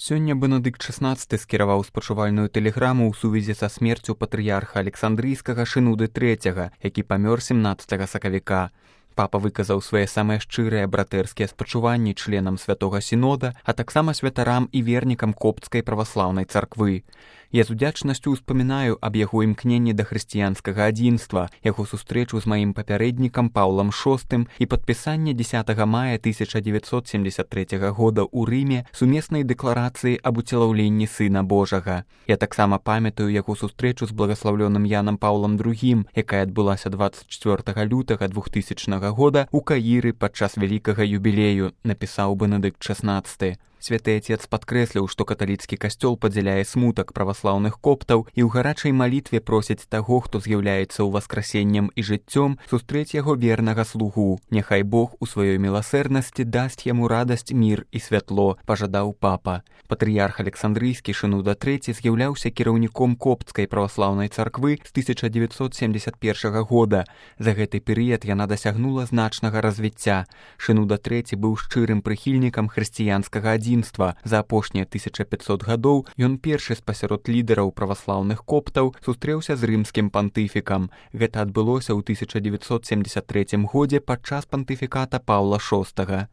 Сёння Бенедыкт XVI скіраваў спачувальную тэлеграму ў сувязі са смерцю патрыярха Александрыйскага Шынуды III, які памёр 17 сакавіка. Папа выказаў свае самыя шчырыя братэрскія спачуванні членам святога сінода, а таксама святарам і вернікам копцкай праваслаўнай царквы. Я з удзячнасцю ўспамінаю аб яго імкненні да хрысціянскага адзінства, яго сустрэчу з маім папярэднікам Паўлам VI і падпісанне 10 мая 1973 года ў Рыме сумеснай дэкларацыі аб уцелаўленні Сына Божага. Я таксама памятаю яго сустрэчу з благаслаўлёным Янам Паўлам II, якая адбылася 24 лютага 2000 года ў Каіры падчас вялікага юбілею, напісаў Бенедыкт XVI. Святы Отец падкрэсліў, што каталіцкі касцёл падзяляе смутак праваслаўных коптаў і ў гарачай малітве просіць таго, хто з'яўляецца ўваскрасеннем і жыццём, сустрэць яго вернага слугу. Няхай Бог у сваёй міласэрнасці дасць яму радасць, мір і святло, пажадаў папа. Патрыярх Александрыйскі Шынуда III з'яўляўся кіраўніком копцкай праваслаўнай царквы з 1971 года. За гэты перыяд яна дасягнула значнага развіцця. Шынуда III быў шчырым прыхільнікам хрысціянскага адзінства. За апошнія 1500 гадоў ён першы спасярод лідараў праваслаўных коптаў сустрэўся з рымскім пантыфікам. Гэта адбылося ў 1973 годзе падчас пантыфіката Паўла VI.